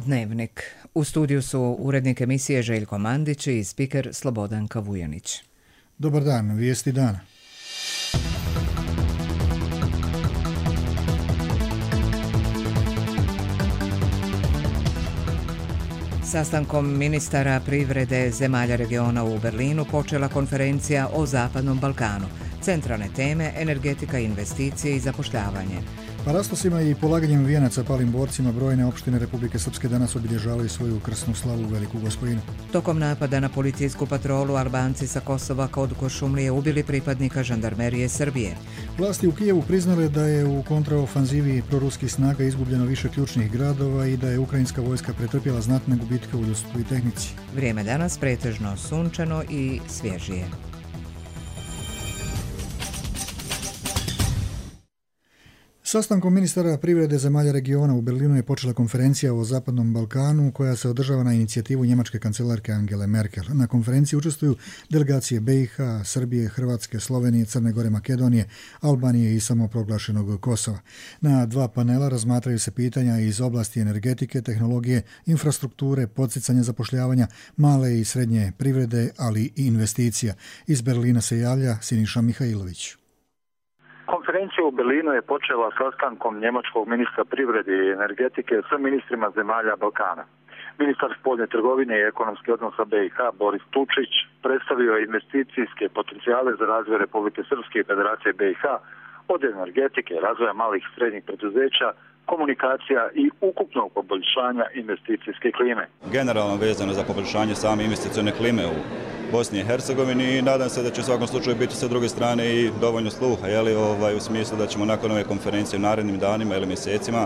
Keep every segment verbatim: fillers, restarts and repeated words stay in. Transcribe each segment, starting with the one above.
Dnevnik. U studiju su urednik emisije Željko Mandić i spiker Slobodanka Vujanić. Dobar dan, vijesti dana. Sastankom ministara privrede zemalja regiona u Berlinu počela konferencija o Zapadnom Balkanu. Centralne teme, energetika, investicije i zapošljavanje. Parastosima i polaganjem vijenaca palim borcima brojne opštine Republike Srpske danas obilježavaju svoju krsnu slavu u Veliku Gospojinu. Tokom napada na policijsku patrolu Albanci sa Kosova kod Košumlije ubili pripadnika žandarmerije Srbije. Vlasti u Kijevu priznale da je u kontraofanzivi proruskih snaga izgubljeno više ključnih gradova i da je ukrajinska vojska pretrpjela znatne gubitke u ljudstvu i tehnici. Vrijeme danas pretežno sunčano i svježije. Sastankom ministara privrede zemalja regiona u Berlinu je počela konferencija o Zapadnom Balkanu koja se održava na inicijativu njemačke kancelarke Angele Merkel. Na konferenciji učestvuju delegacije B i H, Srbije, Hrvatske, Slovenije, Crne Gore, Makedonije, Albanije i samoproglašenog Kosova. Na dva panela razmatraju se pitanja iz oblasti energetike, tehnologije, infrastrukture, podsticanja zapošljavanja, male i srednje privrede, ali i investicija. Iz Berlina se javlja Siniša Mihajlović. Konferencija u Berlinu je počela sastankom njemačkog ministra privrede i energetike sa ministrima zemalja Balkana. Ministar spoljne trgovine i ekonomskih odnosa B i H Boris Tučić predstavio je investicijske potencijale za razvoj Republike Srpske i Federacije B i H od energetike, razvoja malih i srednjih preduzeća, komunikacija i ukupnog poboljšanja investicijske klime. Generalno vezano za poboljšanje same investicione klime u Bosni i Hercegovini i nadam se da će u svakom slučaju biti sa druge strane i dovoljno sluha, jeli, ovaj, u smislu da ćemo nakon ove konferencije u narednim danima ili mjesecima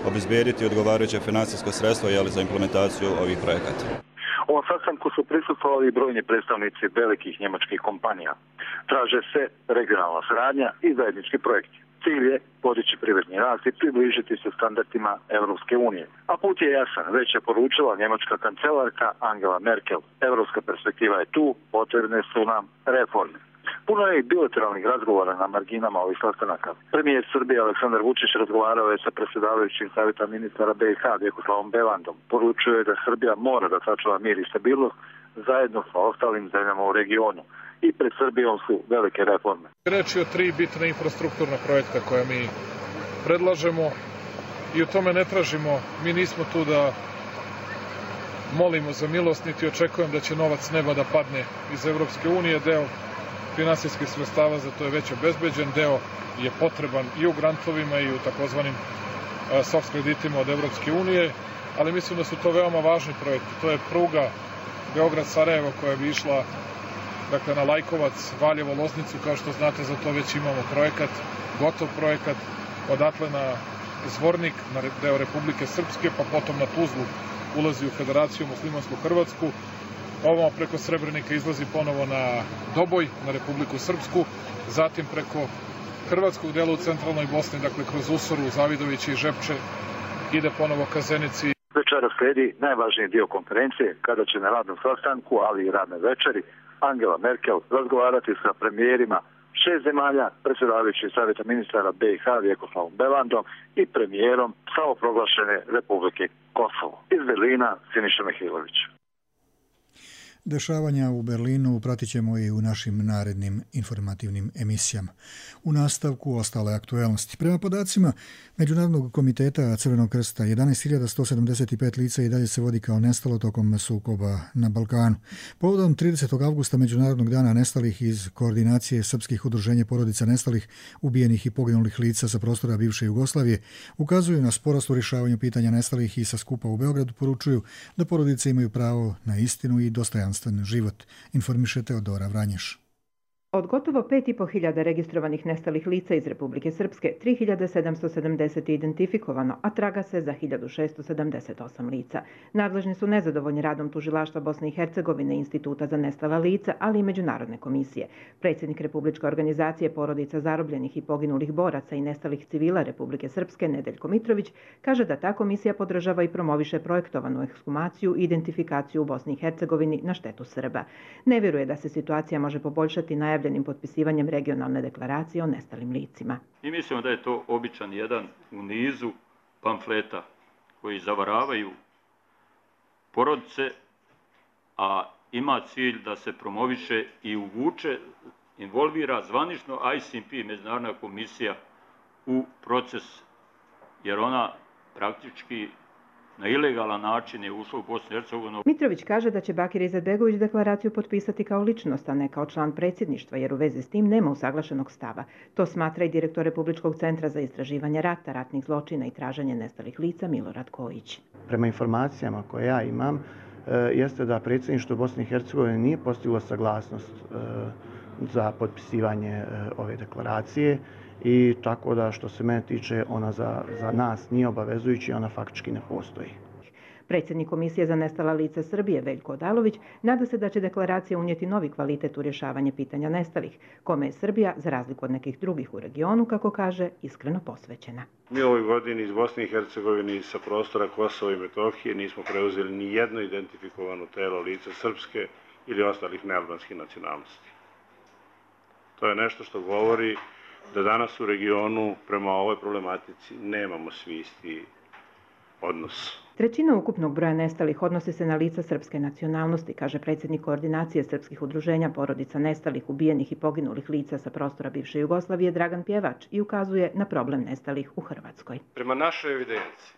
obezbijediti odgovarajuće financijsko sredstvo, jeli, za implementaciju ovih projekata. Ovom sastanku su prisustvovali brojni predstavnici velikih njemačkih kompanija. Traže se regionalna saradnja i zajednički projekti. Cilj je podići privredni rast i približiti se standardima Europske unije. A put je jasan, već je poručila njemačka kancelarka Angela Merkel. Europska perspektiva je tu, potrebne su nam reforme. Puno je i bilateralnih razgovora na marginama ovih sastanaka. Premijer Srbije Aleksandar Vučić razgovarao je sa predsjedavajućim savjeta ministara B i H Vjekoslavom Belandom. Poručuje je da Srbija mora da sačuva mir i stabilnost zajedno sa ostalim zemljama u regionu. I pred Srbijom su velike reforme. Reč je o tri bitne infrastrukturna projekta koje mi predlažemo i u tome ne tražimo, mi nismo tu da molimo za milost, niti očekujem da će novac neba da padne iz Evropske unije. Deo finansijskih sredstava za to je već obezbeđen, deo je potreban i u grantovima i u takozvanim soft kreditima od Evropske unije, ali mislim da su to veoma važni projekti. To je pruga Beograd-Sarajevo koja bi išla dakle na Lajkovac, Valjevo, Loznicu, kao što znate, za to već imamo projekat, gotov projekat, odatle na Zvornik, na deo Republike Srpske, pa potom na Tuzlu ulazi u Federaciju muslimansku Hrvatsku, ovamo preko Srebrenika izlazi ponovo na Doboj, na Republiku Srpsku, zatim preko hrvatskog dela u centralnoj Bosni, dakle kroz Usoru, Zavidović i Žepče, ide ponovo ka Zenici. Večera slijedi najvažniji dio konferencije, kada će na radnom sastanku, ali i radne večeri, Angela Merkel razgovarati sa premijerima šest zemalja, predsjedavajući savjeta ministara B i H Vjekoslavom Belandom i premijerom samoproglašene Republike Kosovo. Iz Berlina Siniša Mihajlović. Dešavanja u Berlinu pratit ćemo i u našim narednim informativnim emisijama. U nastavku ostale aktuelnosti. Prema podacima Međunarodnog komiteta Crvenog krsta, jedanaest hiljada sto sedamdeset pet lica i dalje se vodi kao nestalo tokom sukoba na Balkanu. Povodom tridesetog avgusta Međunarodnog dana nestalih iz koordinacije srpskih udruženja porodica nestalih, ubijenih i poginulih lica sa prostora bivše Jugoslavije, ukazuju na sporost u rješavanju pitanja nestalih i sa skupa u Beogradu poručuju da porodice imaju pravo na istinu i dostojanstvo život, informiše Teodora Vranješ. Od gotovo pet i po hiljada registrovanih nestalih lica iz Republike Srpske, tri hiljade sedamsto sedamdeset je identifikovano, a traga se za hiljadu šessto sedamdeset osam lica. Nadležni su nezadovoljni radom Tužilaštva Bosne i Hercegovine, Instituta za nestala lica, ali i Međunarodne komisije. Predsjednik Republičke organizacije porodica zarobljenih i poginulih boraca i nestalih civila Republike Srpske, Nedeljko Mitrović, kaže da ta komisija podržava i promoviše projektovanu ekshumaciju i identifikaciju u Bosni i Hercegovini na štetu Srba. Ne vjeruje da se situacija može poboljšati najavljenim potpisivanjem regionalne deklaracije o nestalim licima. I mislimo da je to običan jedan u nizu pamfleta koji zavaravaju porodice, a ima cilj da se promoviše i uvuče, involvira zvanično I C M P, Međunarodna komisija, u proces, jer ona praktički na ilegalan način je ušla u Bosnu i Hercegovinu. Mitrović kaže da će Bakir Izetbegović deklaraciju potpisati kao ličnost, a ne kao član predsjedništva, jer u vezi s tim nema usaglašenog stava. To smatra i direktor Republičkog centra za istraživanje rata, ratnih zločina i traženje nestalih lica Milorad Kojić. Prema informacijama koje ja imam, jeste da predsjedništvo Bosne i Hercegovine nije postiglo saglasnost za potpisivanje ove deklaracije i tako da što se mene tiče ona za, za nas nije obavezujući, ona faktički ne postoji. Predsjednik Komisije za nestala lica Srbije Veljko Odalović nada se da će deklaracija unijeti novi kvalitet u rješavanje pitanja nestalih, kome je Srbija, za razliku od nekih drugih u regionu, kako kaže, iskreno posvećena. Mi u ovoj godini iz Bosne i Hercegovine i sa prostora Kosova i Metohije nismo preuzeli ni jedno identifikovano telo lica srpske ili ostalih nealbanskih nacionalnosti. To je nešto što govori da danas u regionu prema ovoj problematici nemamo svi isti odnos. Trećina ukupnog broja nestalih odnosi se na lica srpske nacionalnosti, kaže predsjednik koordinacije srpskih udruženja porodica nestalih, ubijenih i poginulih lica sa prostora bivše Jugoslavije Dragan Pjevač i ukazuje na problem nestalih u Hrvatskoj. Prema našoj evidenciji,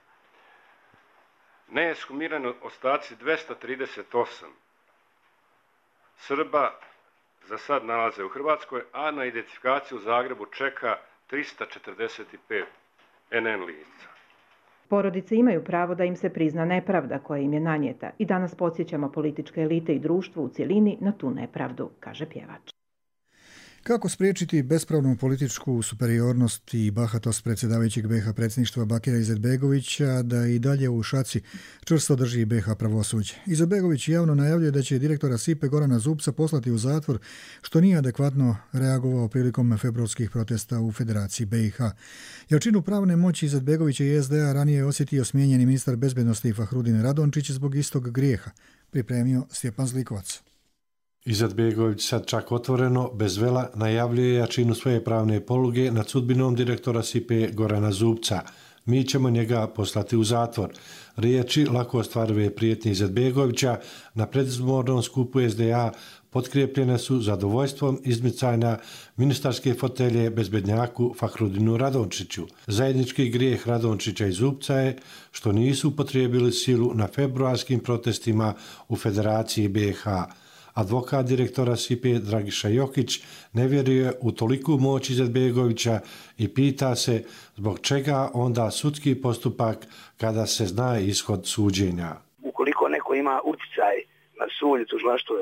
neeshumirani ostaci dvesta trideset osam Srba za sad nalaze u Hrvatskoj, a na identifikaciju u Zagrebu čeka trista četrdeset pet N N lica. Porodice imaju pravo da im se prizna nepravda koja im je nanijeta i danas podsjećamo političke elite i društvo u cjelini na tu nepravdu, kaže Pjevač. Kako spriječiti bespravnu političku superiornost i bahatost predsjedavajućeg B iH predsjedništva Bakira Izetbegovića da i dalje u šaci čvrsto drži B iH pravosuđe? Izetbegović javno najavljuje da će direktora S I P-e Gorana Zubca poslati u zatvor, što nije adekvatno reagovao prilikom februarskih protesta u Federaciji B iH. Jačinu pravne moći Izetbegovića i S D A ranije je osjetio smijenjeni ministar bezbednosti Fahrudin Radončić zbog istog grijeha, pripremio Stjepan Zlikovac. Izetbegović sad čak otvoreno, bez vela, najavljuje jačinu svoje pravne poluge nad sudbinom direktora S I P-e Gorana Zubca. Mi ćemo njega poslati u zatvor. Riječi lako ostvarive prijetnje Izetbegovića na predizbornom skupu S D A potkrijepljene su zadovoljstvom izmicanja ministarske fotelje bezbednjaku Fahrudinu Radončiću. Zajednički grijeh Radončića i Zubca je što nisu upotrijebili silu na februarskim protestima u Federaciji B iH. Advokat direktora S I P-e Dragiša Jokić ne vjeruje u toliku moć Izetbegovića i pita se zbog čega onda sudski postupak kada se zna ishod suđenja. Ukoliko neko ima utjecaj na sud i tužilaštvo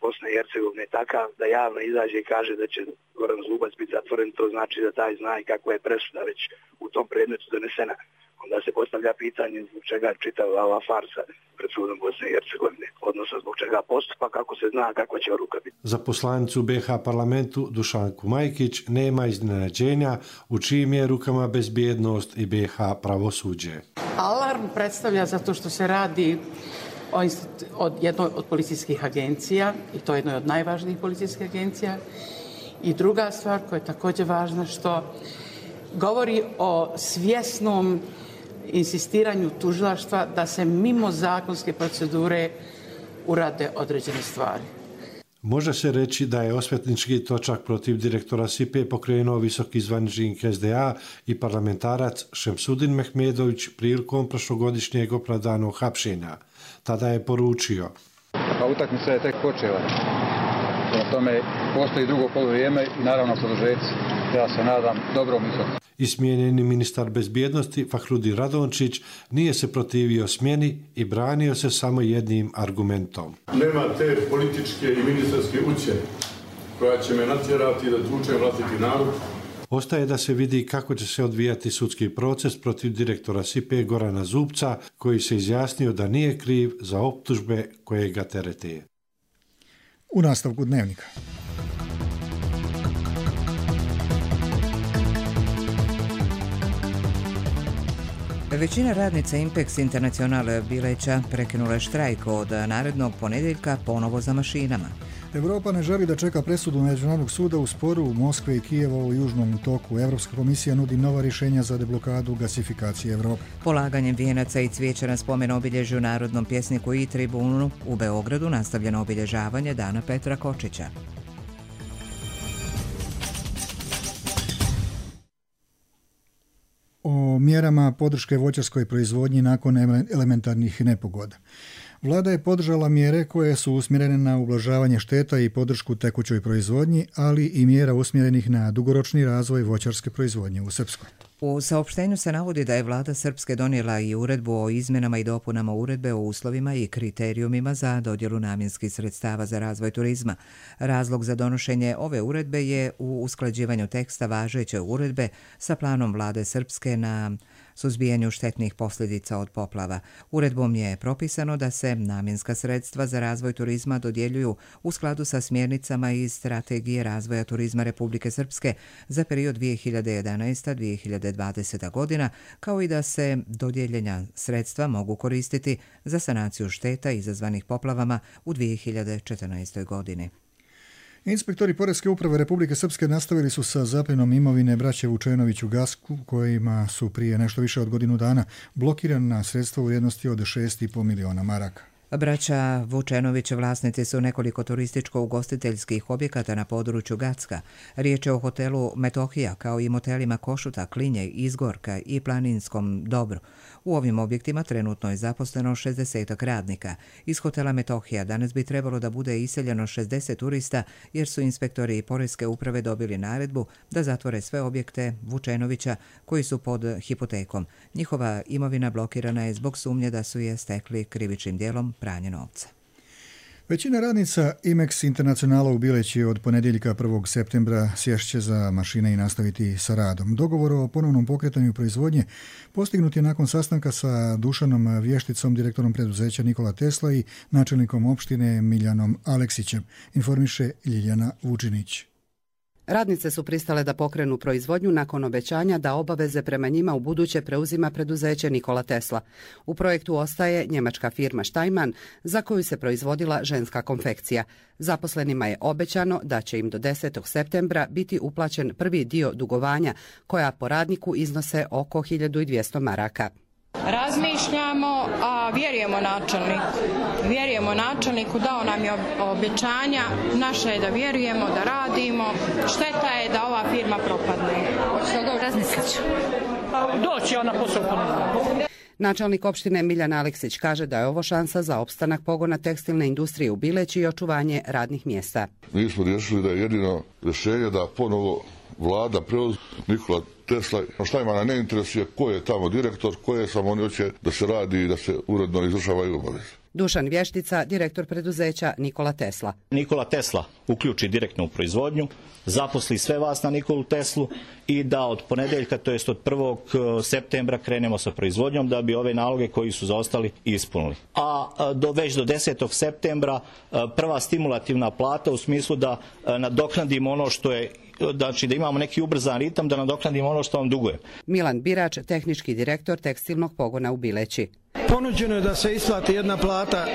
Bosne i Hercegovine takav da javno izađe i kaže da će Goran Zubac biti zatvoren, to znači da taj zna i kakva je presuda već u tom predmetu donesena. Onda se postavlja pitanje zbog čega čitava ova farsa pred sudom Bosne i Hercegovine, odnosno zbog čega postupak, kako se zna kakva će odluka biti. Za poslanicu B iH parlamentu Dušanku Majkić nema iznenađenja u čijim je rukama bezbjednost i B iH pravosuđe. Alarm predstavlja zato što se radi o od jednoj od policijskih agencija i to je jednoj od najvažnijih policijskih agencija. I druga stvar koja je također važna što govori o svjesnom insistiranju tužilaštva da se mimo zakonske procedure urade određene stvari. Može se reći da je osvetnički točak protiv direktora S I P-e pokrenuo visoki zvaničnik S D A i parlamentarac Šemsudin Mehmedović prilikom prošlogodišnjeg opravdanog hapšenja. Tada je poručio: A utakmica je tek počela. Prema tome postoji drugo poluvrijeme i naravno produžeci. Ja se nadam dobrom ishodu. I smijenjeni ministar bezbjednosti Fahrudin Radončić nije se protivio smjeni i branio se samo jednim argumentom. Nema te političke i ministarske ucjene koja će me natjerati da tučem vlastiti narod. Ostaje da se vidi kako će se odvijati sudski proces protiv direktora S I P-e Gorana Zubca, koji se izjasnio da nije kriv za optužbe koje ga terete. U nastavku Dnevnika. Većina radnica Impex Internacional Bileća prekinula je štrajk od narednog ponedjeljka ponovo za mašinama. Europa ne želi da čeka presudu Međunarodnog suda u sporu Moskve i Kijeva u južnom toku. Evropska komisija nudi nova rješenja za deblokadu gasifikacije Evrope. Polaganjem vijenaca i cvijeća na spomen obilježju Narodnom pjesniku i tribunu u Beogradu nastavljeno obilježavanje Dana Petra Kočića. O mjerama podrške voćarskoj proizvodnji nakon elementarnih nepogoda. Vlada je podržala mjere koje su usmjerene na ublažavanje šteta i podršku tekućoj proizvodnji, ali i mjera usmjerenih na dugoročni razvoj voćarske proizvodnje u Srpskoj. U saopštenju se navodi da je vlada Srpske donijela i uredbu o izmjenama i dopunama uredbe o uslovima i kriterijumima za dodjelu namjenskih sredstava za razvoj turizma. Razlog za donošenje ove uredbe je u usklađivanju teksta važeće uredbe sa planom vlade Srpske na suzbijanju štetnih posljedica od poplava. Uredbom je propisano da se namjenska sredstva za razvoj turizma dodjeljuju u skladu sa smjernicama iz Strategije razvoja turizma Republike Srpske za period dvije hiljade jedanaesta do dvije hiljade dvadeseta godina, kao i da se dodijeljena sredstva mogu koristiti za sanaciju šteta izazvanih poplavama u dvije hiljade četrnaestoj godini. Inspektori Poreske uprave Republike Srpske nastavili su sa zapljenom imovine braće Vučenović u Gasku, kojima su prije nešto više od godinu dana blokirana sredstva u vrijednosti od šest i po miliona maraka. Braća Vučenović vlasnici su nekoliko turističko-ugostiteljskih objekata na području Gacka. Riječ je o hotelu Metohija, kao i motelima Košuta, Klinje, Izgorka i Planinskom Dobru. U ovim objektima trenutno je zaposleno šezdeset radnika. Iz hotela Metohija danas bi trebalo da bude iseljeno šezdeset turista, jer su inspektori Poreske uprave dobili naredbu da zatvore sve objekte Vučenovića koji su pod hipotekom. Njihova imovina blokirana je zbog sumnje da su je stekli krivičnim djelom pranje novca. Većina radnica Imex Internacionala u Bileći od ponedjeljka prvog septembra sješće za mašine i nastaviti sa radom. Dogovor o ponovnom pokretanju proizvodnje postignut je nakon sastanka sa Dušanom Vješticom, direktorom preduzeća Nikola Tesla i načelnikom opštine Miljanom Aleksićem, informiše Ljiljana Vučinić. Radnice su pristale da pokrenu proizvodnju nakon obećanja da obaveze prema njima u buduće preuzima preduzeće Nikola Tesla. U projektu ostaje njemačka firma Steinmann, za koju se proizvodila ženska konfekcija. Zaposlenima je obećano da će im do desetog septembra biti uplaćen prvi dio dugovanja, koja po radniku iznose oko hiljadu dvjesto maraka. Razmišljamo, a vjerujemo načelniku. Vjerujemo načelniku, dao nam je obećanja, naše je da vjerujemo, da radimo. Šteta je da ova firma propadne. Što razmislit ću? Doći ona posao. Načelnik opštine Miljan Aleksić kaže da je ovo šansa za opstanak pogona tekstilne industrije u Bileći i očuvanje radnih mjesta. Mi smo riješili da je jedino rješenje da ponovo vlada preuzme Nikola Tesla. Šta ima na ne interesuje ko je tamo direktor, koje samo oni hoće da se radi i da se uredno izvršavaju obaveze. Dušan Vještica, direktor preduzeća Nikola Tesla. Nikola Tesla uključi direktno u proizvodnju, zaposli sve vas na Nikolu Teslu i da od ponedjeljka, to jest od prvog septembra krenemo sa proizvodnjom da bi ove naloge koji su zaostali ispunili. A do, već do desetog septembra prva stimulativna plata u smislu da nadoknadimo ono što je, znači da imamo neki ubrzan ritam, da nadoknadimo ono što vam duguje. Milan Birač, tehnički direktor tekstilnog pogona u Bileći. Ponuđeno je da se isplati jedna plata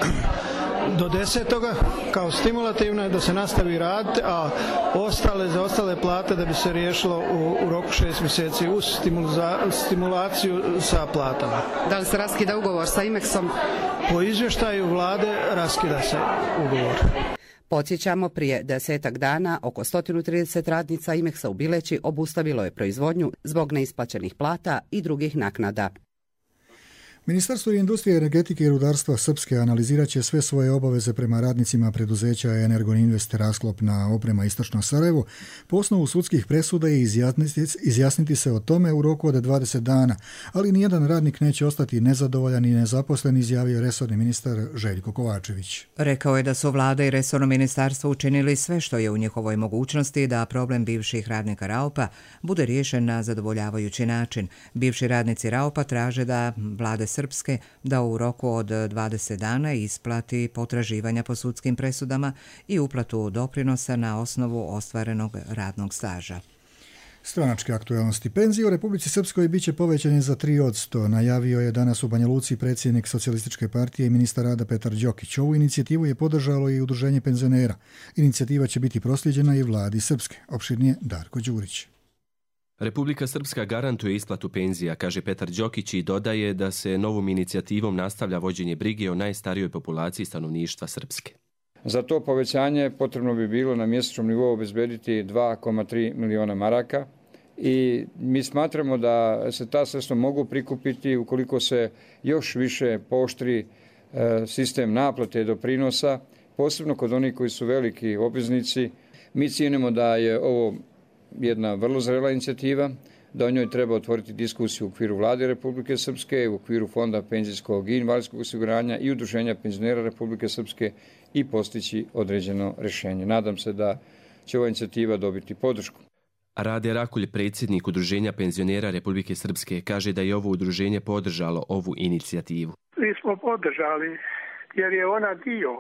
do desetoga kao stimulativna, da se nastavi raditi, a ostale za ostale plate da bi se riješilo u, u roku šest mjeseci uz stimulaciju sa platama. Da li se raskida ugovor sa Imexom? Po izvještaju vlade raskida se ugovor. Podsjećamo, prije desetak dana oko sto trideset radnica Imexa u Bileći obustavilo je proizvodnju zbog neisplaćenih plata i drugih naknada. Ministarstvo industrije, energetike i rudarstva Srpske analizirat će sve svoje obaveze prema radnicima preduzeća Energoinvest Rasklopna oprema Istočno Sarajevo po osnovu sudskih presuda i izjasniti, izjasniti se o tome u roku od dvadeset dana, ali nijedan radnik neće ostati nezadovoljan i nezaposlen, izjavio resorni ministar Željko Kovačević. Rekao je da su vlada i resorno ministarstvo učinili sve što je u njihovoj mogućnosti da problem bivših radnika Raupa bude riješen na zadovoljavajući način. Bivši radnici Raupa traže da vlade Srpske da u roku od dvadeset dana isplati potraživanja po sudskim presudama i uplatu doprinosa na osnovu ostvarenog radnog staža. Stranačke aktualnosti. Penzije u Republici Srpskoj biće povećane za tri posto, najavio je danas u Banja Luci predsjednik Socijalističke partije i ministar rada Petar Đokić. Ovu inicijativu je podržalo i Udruženje penzionera. Inicijativa će biti prosljeđena i vladi Srpske. Opširnije Darko Đurić. Republika Srpska garantuje isplatu penzija, kaže Petar Đokić i dodaje da se novom inicijativom nastavlja vođenje brige o najstarijoj populaciji stanovništva Srpske. Za to povećanje potrebno bi bilo na mjesečnom nivou obezbediti dva zarez tri miliona maraka i mi smatramo da se ta sredstva mogu prikupiti ukoliko se još više pooštri sistem naplate doprinosa, posebno kod onih koji su veliki obveznici. Mi cijenimo da je ovo jedna vrlo zrela inicijativa, da o njoj treba otvoriti diskusiju u okviru Vlade Republike Srpske, u okviru Fonda penzijskog i invalidskog osiguranja i Udruženja penzionera Republike Srpske i postići određeno rješenje. Nadam se da će ova inicijativa dobiti podršku. Rade Rakulj, predsjednik Udruženja penzionera Republike Srpske, kaže da je ovo udruženje podržalo ovu inicijativu. Mi smo podržali jer je ona dio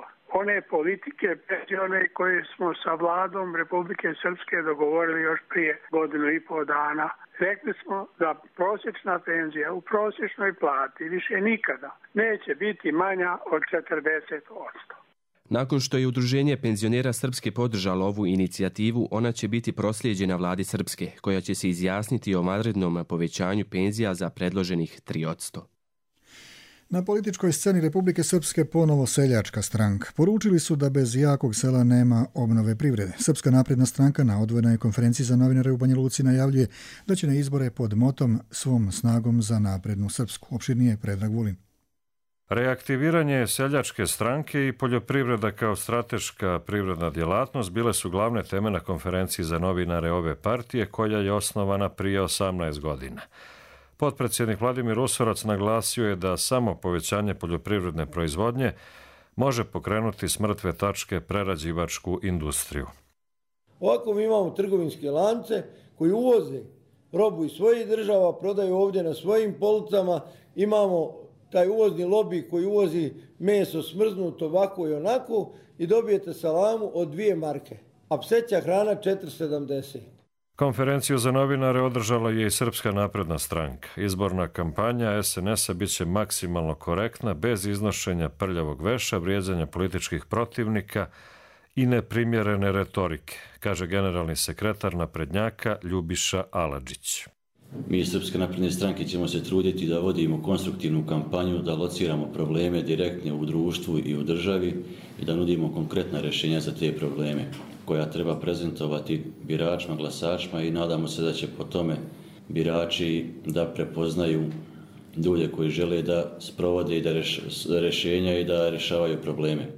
one politike penzione koje smo sa vladom Republike Srpske dogovorili još prije godinu i pol dana. Rekli smo da prosječna penzija u prosječnoj plati više nikada neće biti manja od četrdeset posto. Nakon što je Udruženje penzionera Srpske podržalo ovu inicijativu, ona će biti proslijeđena vladi Srpske, koja će se izjasniti o vanrednom povećanju penzija za predloženih tri posto. Na političkoj sceni Republike Srpske ponovo seljačka stranka. Poručili su da bez jakog sela nema obnove privrede. Srpska napredna stranka na odvojenoj konferenciji za novinare u Banja Luci najavljuje da će na izbore pod motom svom snagom za naprednu Srpsku. Opširnije Predrag Vulin. Reaktiviranje seljačke stranke i poljoprivreda kao strateška privredna djelatnost bile su glavne teme na konferenciji za novinare ove partije koja je osnovana prije osamnaest godina. Potpredsjednik Vladimir Usorac naglasio je da samo povećanje poljoprivredne proizvodnje može pokrenuti s mrtve tačke prerađivačku industriju. Ovako mi imamo trgovinske lance koji uvoze robu iz svojih država, prodaju ovdje na svojim policama, imamo taj uvozni lobby koji uvozi meso smrznuto ovako i onako i dobijete salamu od dvije marke, a pseća hrana četiri sedamdeset. Konferenciju za novinare održala je i Srpska napredna stranka. Izborna kampanja es en es a bit će maksimalno korektna, bez iznošenja prljavog veša, vrijeđanja političkih protivnika i neprimjerene retorike, kaže generalni sekretar naprednjaka Ljubiša Aladžić. Mi iz Srpske napredne stranke ćemo se truditi da vodimo konstruktivnu kampanju, da lociramo probleme direktne u društvu i u državi i da nudimo konkretna rješenja za te probleme koja treba prezentovati biračima, glasačima i nadamo se da će po tome birači da prepoznaju ljude koji žele da sprovode i da rješenja i da rješavaju probleme.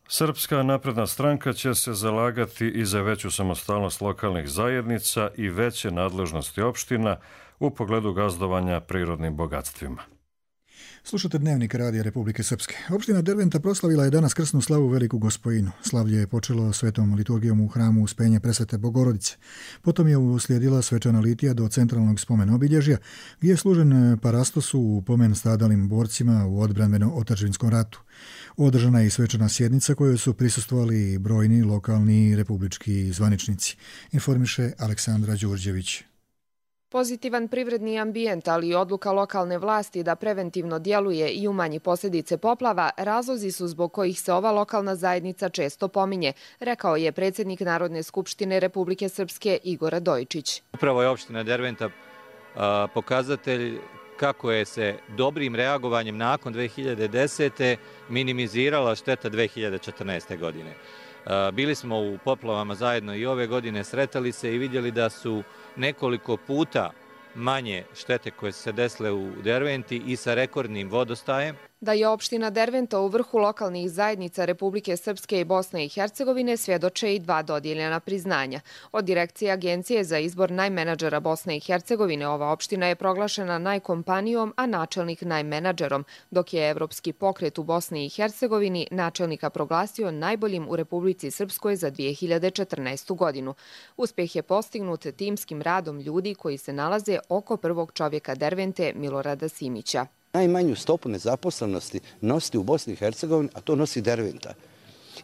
Srpska napredna stranka će se zalagati i za veću samostalnost lokalnih zajednica i veće nadležnosti opština u pogledu gazdovanja prirodnim bogatstvima. Slušate Dnevnik Radija Republike Srpske. Opština Derventa proslavila je danas krsnu slavu Veliku Gospojinu. Slavlje je počelo svetom liturgijom u hramu Uspenje Presvete Bogorodice. Potom je uslijedila svečana litija do centralnog spomen obilježja, gdje je služen parastosu u pomen stradalim borcima u odbrambeno-otadžbinskom ratu. Održana je i svečana sjednica kojoj su prisustvovali brojni lokalni i republički zvaničnici, informiše Aleksandra Đurđević. Pozitivan privredni ambijent, ali i odluka lokalne vlasti da preventivno djeluje i umanji posljedice poplava, razlozi su zbog kojih se ova lokalna zajednica često pominje, rekao je predsjednik Narodne skupštine Republike Srpske Igor Radojičić. Upravo je opština Derventa a, pokazatelj kako je se dobrim reagovanjem nakon dve hiljade desete. minimizirala šteta dve hiljade četrnaeste. godine. A, bili smo u poplavama zajedno i ove godine, sretali se i vidjeli da su nekoliko puta manje štete koje su se desile u Derventi i sa rekordnim vodostajem. Da je opština Derventa u vrhu lokalnih zajednica Republike Srpske i Bosne i Hercegovine svjedoče i dva dodijeljena priznanja. Od direkcije Agencije za izbor najmenadžera Bosne i Hercegovine ova opština je proglašena najkompanijom, a načelnik najmenadžerom, dok je Evropski pokret u Bosni i Hercegovini načelnika proglasio najboljim u Republici Srpskoj za dvije hiljade četrnaestu. godinu. Uspjeh je postignut timskim radom ljudi koji se nalaze oko prvog čovjeka Dervente Milorada Simića. Najmanju stopu nezaposlenosti nositi u Bosni i Hercegovini, a to nosi Derventa.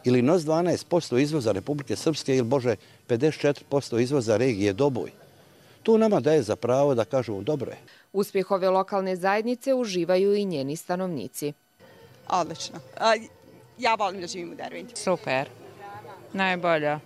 Ili nos dvanaest posto izvoza Republike Srpske ili, bože, pedeset četiri posto izvoza regije Doboj. To nama daje za pravo da kažemo dobro je. Uspjeh ove lokalne zajednice uživaju i njeni stanovnici. Odlično. A, ja volim da živim u Derventi. Super. Najbolja.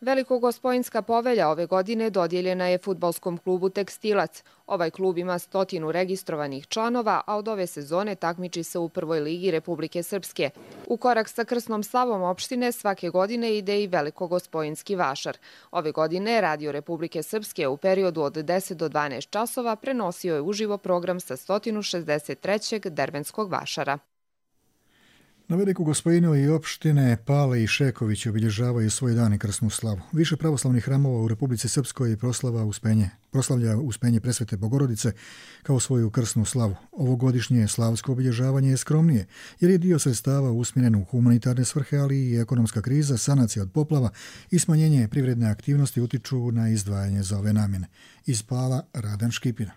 Velikogospojinska povelja ove godine dodijeljena je fudbalskom klubu Tekstilac. Ovaj klub ima stotinu registrovanih članova, a od ove sezone takmiči se u prvoj ligi Republike Srpske. U korak sa krsnom slavom opštine svake godine ide i Velikogospojinski vašar. Ove godine Radio Republike Srpske u periodu od deset do dvanaest časova prenosio je uživo program sa sto šezdeset trećeg dervenskog vašara. Na Velikogospojinu i opštine Pale i Šeković obilježavaju svoj dan i krsnu slavu. Više pravoslavnih hramova u Republici Srpskoj proslava uspenje, proslavlja uspenje Presvete Bogorodice kao svoju krsnu slavu. Ovogodišnje slavsko obilježavanje je skromnije, jer je dio sredstava usmjeren u humanitarne svrhe, ali i ekonomska kriza, sanacija od poplava i smanjenje privredne aktivnosti utiču na izdvajanje za ove namjene. Iz Pala Radan Škipina.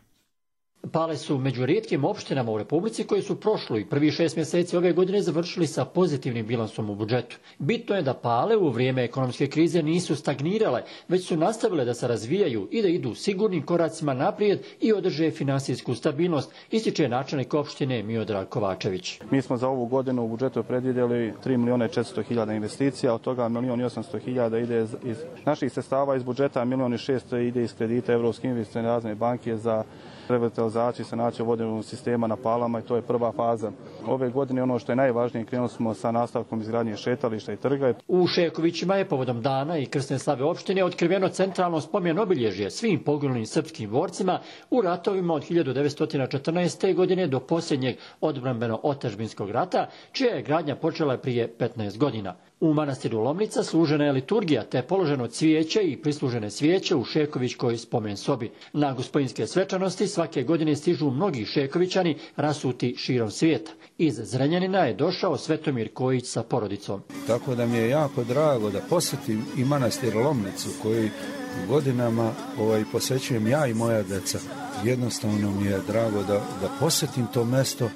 Pale su među rijetkim opštinama u Republici koji su prošlo i prvi šest mjeseci ove godine završili sa pozitivnim bilansom u budžetu. Bitno je da Pale u vrijeme ekonomske krize nisu stagnirale, već su nastavile da se razvijaju i da idu sigurnim koracima naprijed i održe finansijsku stabilnost, ističe načelnik opštine Miodrag Kovačević. Mi smo za ovu godinu u budžetu predvidjeli tri milijuna i četiristo hiljada investicija, od toga milijon i osamsto hiljada ide iz naših sredstava iz budžeta, a milijon i šesto ide iz kredita Evropske investicione razvojne banke za revitalizaciju i sanaciju vodenog sistema na Palama i to je prva faza. Ove godine ono što je najvažnije, krenuli smo sa nastavkom izgradnje šetališta i trga. U Šekovićima je povodom dana i krsne slave opštine otkriveno centralno spomen obilježje svim poginulim srpskim borcima u ratovima od hiljadu devetsto četrnaeste. godine do posljednjeg odbrambeno-otadžbinskog rata, čija je gradnja počela prije petnaest godina. U manastiru Lomnica služena je liturgija te položeno cvijeće i prislužene svijeće u Šekovićkoj spomen sobi. Na gospodinske svečanosti svake godine stižu mnogi Šekovićani rasuti širom svijeta. Iz Zrenjanina je došao Svetomir Kojić sa porodicom. Tako da mi je jako drago da posjetim i manastir Lomnicu koji godinama ovaj, posvećujem ja i moja deca. Jednostavno mi je drago da, da posjetim to mesto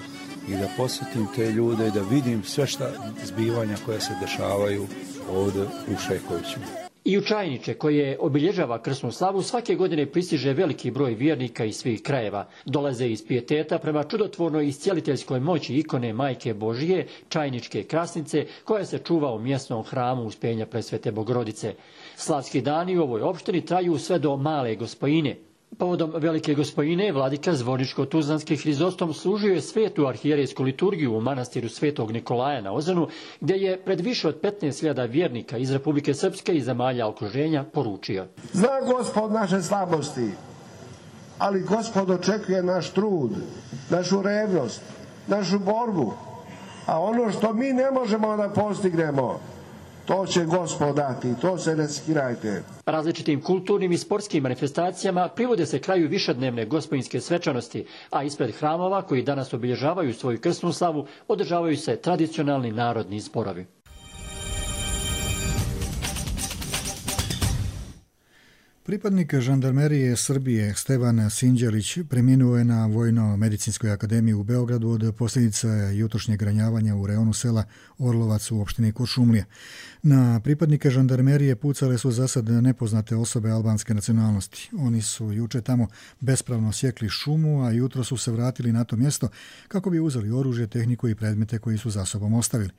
i da posjetim te ljude i da vidim sve šta zbivanja koja se dešavaju ovdje u Šekovićima. I u Čajniče, koje obilježava krsnu slavu, svake godine pristiže veliki broj vjernika iz svih krajeva. Dolaze iz pijeteta prema čudotvornoj iscijeliteljskoj moći ikone Majke Božije, Čajničke krasnice, koja se čuva u mjesnom hramu Uspenja Presvete Bogorodice. Slavski dani u ovoj opštini traju sve do Male Gospojine. Povodom Velike Gospojine, vladika Zvorničko-Tuzlanski Hrizostom služio je svetu arhijerejsku liturgiju u manastiru Svetog Nikolaja na Ozanu, gdje je pred više od petnaest hiljada vjernika iz Republike Srpske i zemalja okruženja poručio. Zna Gospod naše slabosti, ali Gospod očekuje naš trud, našu revnost, našu borbu, a ono što mi ne možemo da postignemo, to će Gospod dati, to se ne skirajte. Različitim kulturnim i sportskim manifestacijama privode se kraju višednevne gospojinske svečanosti, a ispred hramova koji danas obilježavaju svoju krsnu slavu održavaju se tradicionalni narodni zborovi. Pripadnik žandarmerije Srbije Stevan Sinđelić preminuo je na Vojno-medicinskoj akademiji u Beogradu od posljedica jutrošnjeg ranjavanja u reonu sela Orlovac u opštini Kuršumlija. Na pripadnike žandarmerije pucale su zasad nepoznate osobe albanske nacionalnosti. Oni su juče tamo bespravno sjekli šumu, a jutro su se vratili na to mjesto kako bi uzeli oružje, tehniku i predmete koji su za sobom ostavili.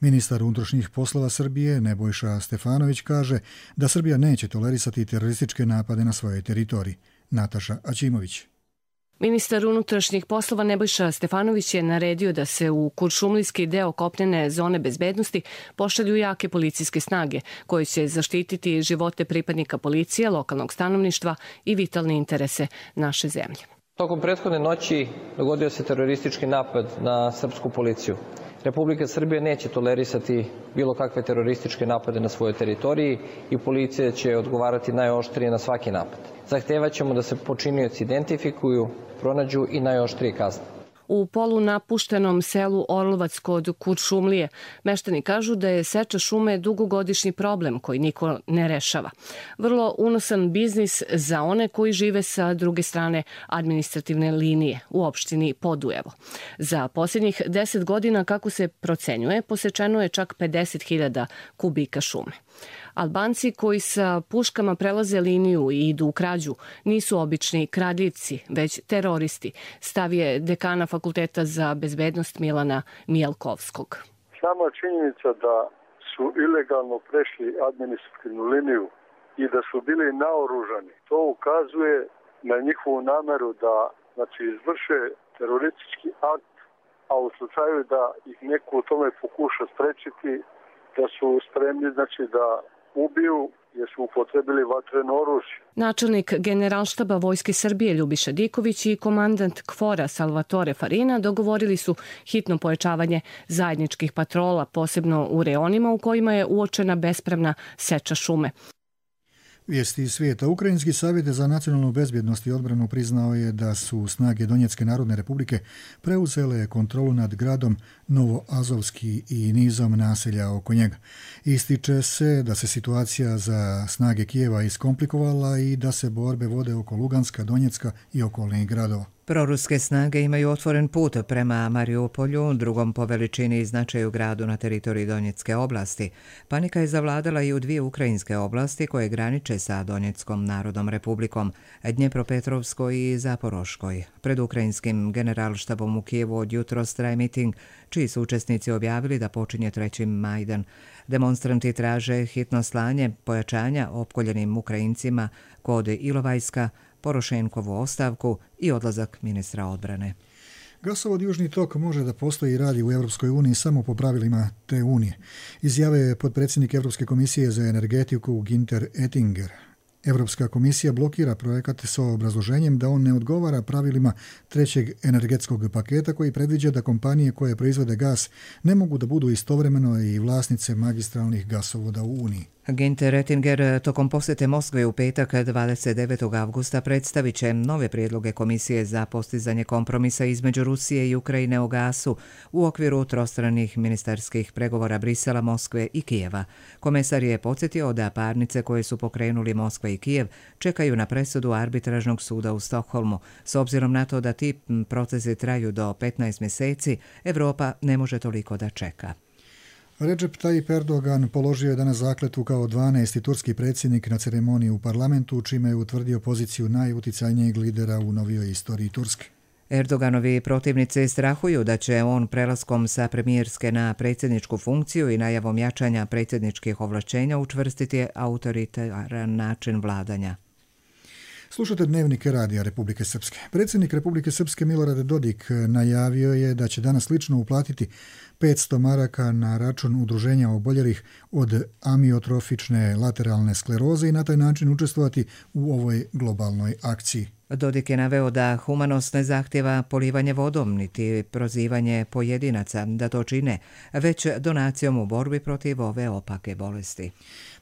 Ministar unutrašnjih poslova Srbije Nebojša Stefanović kaže da Srbija neće tolerisati terorističke napade na svojoj teritoriji. Nataša Aćimović. Ministar unutrašnjih poslova Nebojša Stefanović je naredio da se u kuršumlijski deo kopnene zone bezbednosti pošalju jake policijske snage koje će zaštititi živote pripadnika policije, lokalnog stanovništva i vitalne interese naše zemlje. Tokom prethodne noći dogodio se teroristički napad na srpsku policiju. Republika Srbija neće tolerisati bilo kakve terorističke napade na svojoj teritoriji i policija će odgovarati najoštrije na svaki napad. Zahtevaćemo da se počinioci identifikuju, pronađu i najoštrije kazne. U polunapuštenom selu Orlovac kod Kuršumlije meštani kažu da je seča šume dugogodišnji problem koji niko ne rešava. Vrlo unosan biznis za one koji žive sa druge strane administrativne linije u opštini Podujevo. Za posljednjih deset godina, kako se procenjuje, posečeno je čak pedeset hiljada kubika šume. Albanci koji sa puškama prelaze liniju i idu u krađu nisu obični kradljivci, već teroristi, stav je dekana Fakulteta za bezbednost Milana Mijalkovskog. Sama činjenica da su ilegalno prešli administrativnu liniju i da su bili naoružani, to ukazuje na njihovu nameru da znači, izvrše teroristički akt, a u slučaju da ih neko u tome pokuša sprečiti, da su spremni znači, da ubiju jer su upotrebili vatreno oružje. Načelnik Generalštaba Vojske Srbije Ljubiša Diković i komandant KFOR-a Salvatore Farina dogovorili su hitno pojačavanje zajedničkih patrola, posebno u reonima u kojima je uočena bespravna seča šume. Vijesti iz svijeta. Ukrajinski savjet za nacionalnu bezbjednost i odbranu priznao je da su snage Donjecke narodne republike preuzele kontrolu nad gradom Novoazovski i nizom naselja oko njega. Ističe se da se situacija za snage Kijeva iskomplikovala i da se borbe vode oko Luganska, Donjecka i okolnih gradova. Proruske snage imaju otvoren put prema Mariupolju, drugom po veličini i značaju gradu na teritoriji Donjecke oblasti. Panika je zavladala i u dvije ukrajinske oblasti koje graniče sa Donjeckom narodnom republikom, Dnjepropetrovskoj i Zaporoškoj. Pred ukrajinskim generalštabom u Kijevu od jutros traje miting, čiji su učesnici objavili da počinje treći Majdan. Demonstranti traže hitno slanje pojačanja opkoljenim Ukrajincima kod Ilovajska, Porošenkovu ostavku i odlazak ministra odbrane. Gasovod Južni tok može da postoji i radi u Europskoj uniji samo po pravilima te unije, izjave je potpredsjednik Europske komisije za energetiku Günther Oettinger. Europska komisija blokira projekat sa obrazloženjem da on ne odgovara pravilima trećeg energetskog paketa koji predviđa da kompanije koje proizvode gas ne mogu da budu istovremeno i vlasnice magistralnih gasovoda u Uniji. Günther Oettinger tokom posjete Moskve u petak dvadeset devetog avgusta predstavit će nove prijedloge Komisije za postizanje kompromisa između Rusije i Ukrajine o gasu u okviru trostranih ministarskih pregovora Brisela, Moskve i Kijeva. Komesar je podsjetio da parnice koje su pokrenuli Moskva i Kijev čekaju na presudu arbitražnog suda u Stokholmu. S obzirom na to da ti procesi traju do petnaest mjeseci, Evropa ne može toliko da čeka. Recep Tayyip Erdogan položio je danas zakletvu kao dvanaesti turski predsjednik na ceremoniji u parlamentu, čime je utvrdio poziciju najuticajnijeg lidera u novijoj istoriji Turske. Erdoganovi protivnici strahuju da će on prelaskom sa premijerske na predsjedničku funkciju i najavom jačanja predsjedničkih ovlašćenja učvrstiti autoritaran način vladanja. Slušate Dnevnik radija Republike Srpske. Predsjednik Republike Srpske Milorad Dodik najavio je da će danas lično uplatiti petsto maraka na račun udruženja oboljelih od amiotrofične lateralne skleroze i na taj način učestvovati u ovoj globalnoj akciji. Dodik je naveo da humanost ne zahtjeva polivanje vodom niti prozivanje pojedinaca da to čine, već donacijom u borbi protiv ove opake bolesti.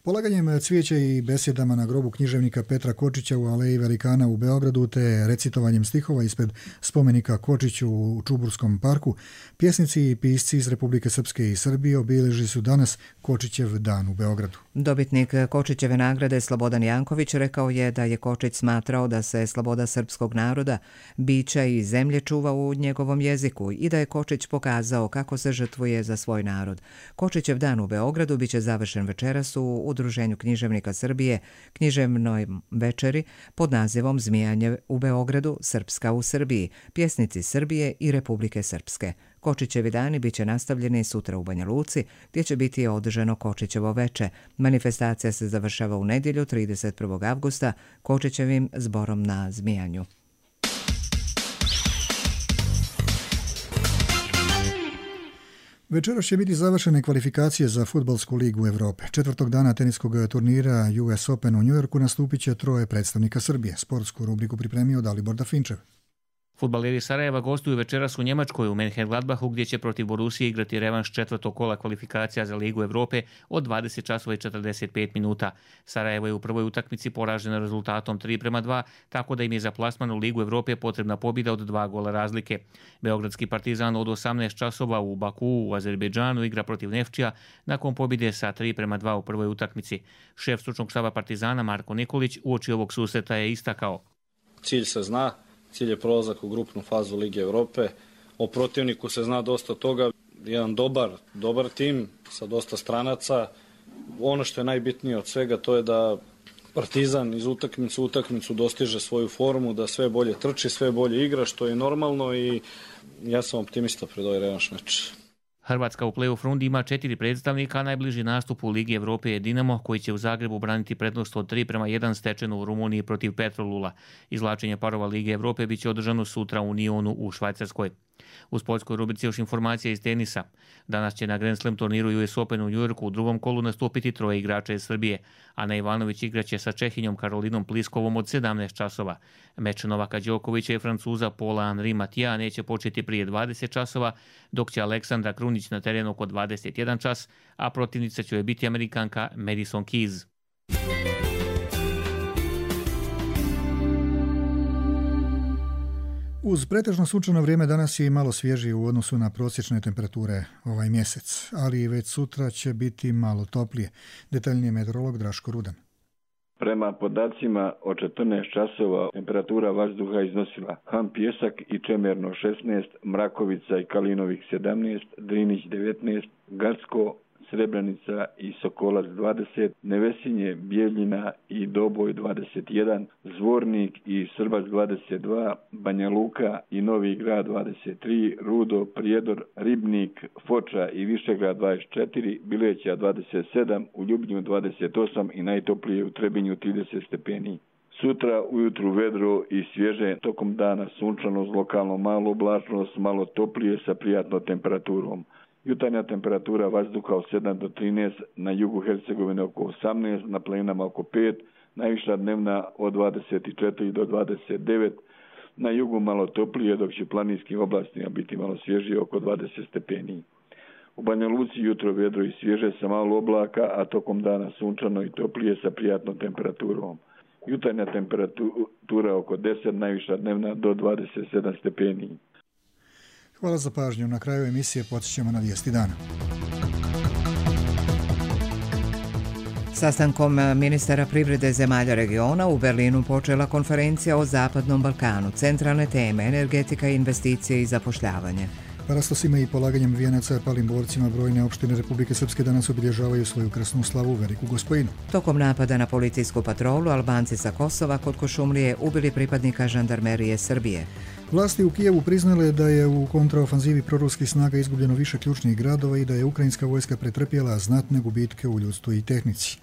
Polaganjem cvijeća i besjedama na grobu književnika Petra Kočića u Aleji Velikana u Beogradu te recitovanjem stihova ispred spomenika Kočiću u Čuburskom parku, pjesnici i pisci iz Republike Srpske i Srbije obilježili su danas Kočićev dan u Beogradu. Dobitnik Kočićeve nagrade Slobodan Janković rekao je da je Kočić smatrao da se sloboda srpskog naroda, bića i zemlje čuva u njegovom jeziku i da je Kočić pokazao kako se žrtvuje za svoj narod. Kočićev dan u Beogradu biće završen večeras u Udruženju književnika Srbije književnoj večeri pod nazivom Zmijanje u Beogradu, Srpska u Srbiji, pjesnici Srbije i Republike Srpske. Kočićevi dani biće nastavljeni sutra u Banja Luci, gdje će biti održano Kočićevo veče. Manifestacija se završava u nedjelju trideset prvog avgusta Kočićevim zborom na Zmijanju. Večeras će biti završene kvalifikacije za fudbalsku ligu Evrope. Četvrtog dana teniskog turnira U S Open u Njujorku nastupit će troje predstavnika Srbije. Sportsku rubriku pripremio Dalibor Dafinčev. Fudbaleri Sarajeva gostuju večeras u Njemačkoj u Mönchengladbachu gdje će protiv Borusije igrati revanš četvrtog kola kvalifikacija za Ligu Evrope od dvadeset časova i četrdeset pet minuta. Sarajevo je u prvoj utakmici poraženo rezultatom tri prema dva, tako da im je za plasman u Ligu Evrope potrebna pobjeda od dva gola razlike. Beogradski Partizan od osamnaest časova u Bakuu u Azerbejdžanu igra protiv Nefčija nakon pobjede sa tri prema dva u prvoj utakmici. Šef stručnog štaba Partizana Marko Nikolić uoči ovog susreta je istakao: Cilj se zna. Cilj je prolazak u grupnu fazu Lige Evrope. O protivniku se zna dosta toga. Jedan dobar, dobar tim sa dosta stranaca. Ono što je najbitnije od svega to je da Partizan iz utakmicu u utakmicu dostiže svoju formu, da sve bolje trči, sve bolje igra, što je normalno i ja sam optimista pred ovaj revanš meč. Hrvatska u play-off rundi ima četiri predstavnika, a najbliži nastup u Ligi Evrope je Dinamo, koji će u Zagrebu braniti prednost od tri prema jedan stečenu u Rumuniji protiv Petrolula. Izvlačenje parova Lige Evrope biće održano sutra u Nionu u Švajcarskoj. U sportskoj rubrici još informacija iz tenisa. Danas će na Grand Slam turniru U S Open u Njujorku u drugom kolu nastupiti troje igrača iz Srbije. Ana Ivanović igraće sa Čehinjom Karolinom Pliskovom od sedamnaest časova. Meč Novaka Đokovića i Francuza Paula Henri Matija neće početi prije dvadeset časova, dok će Aleksandra Krunić na terenu oko dvadeset jedan čas, a protivnica će joj biti Amerikanka Madison Keys. Uz pretežno sunčano vrijeme danas je i malo svježije u odnosu na prosječne temperature ovaj mjesec, ali već sutra će biti malo toplije. Detaljnije meteorolog Draško Rudan. Prema podacima od četrnaest časova temperatura vazduha iznosila Ham Pjesak i Čemerno šesnaest, Mrakovica i Kalinovik sedamnaest, Drinić devetnaest, Gacko, Srebrenica i Sokolac dvadeset, Nevesinje, Bijeljina i Doboj dvadeset jedan, Zvornik i Srbac dvadeset dva, Banja Luka i Novi Grad dvadeset tri, Rudo, Prijedor, Ribnik, Foča i Višegrad dvadeset četiri, Bileća dvadeset sedam, u Ljubnju dvadeset osam i najtoplije u Trebinju trideset stepeni. Sutra ujutru vedro i svježe, tokom dana sunčano uz lokalno malo oblačnost, malo toplije sa prijatnom temperaturom. Jutarnja temperatura vazduha od sedam do trinaest, na jugu Hercegovine oko osamnaest, na planinama oko pet, najviša dnevna od dvadeset četiri do dvadeset devet, na jugu malo toplije, dok će u planinskim oblastima biti malo svježije oko dvadeset stepeni. U Banja Luci jutro vedro i svježe sa malo oblaka, a tokom dana sunčano i toplije sa prijatnom temperaturom. Jutarnja temperatura oko deset, najviša dnevna do dvadeset sedam stepeni. Hvala za pažnju. Na kraju emisije podsjećamo na vijesti dana. Sastankom ministara privrede zemalja regiona u Berlinu počela konferencija o Zapadnom Balkanu. Centralne teme, energetika, investicije i zapošljavanje. Parastosima i polaganjem vijenaca palim borcima brojne opštine Republike Srpske danas obilježavaju svoju krsnu slavu Veliku Gospojinu. Tokom napada na policijsku patrolu, Albanci sa Kosova kod Košumlije ubili pripadnika žandarmerije Srbije. Vlasti u Kijevu priznale da je u kontraofanzivi proruskih snaga izgubljeno više ključnih gradova i da je ukrajinska vojska pretrpjela znatne gubitke u ljudstvu i tehnici.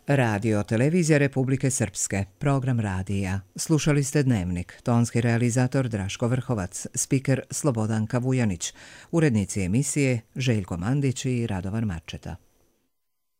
Radio Televizija Republike Srpske, program radija. Slušali ste Dnevnik, tonski realizator Draško Vrhovac, spiker Slobodanka Vujanić, urednici emisije Željko Mandić i Radovan Marčeta.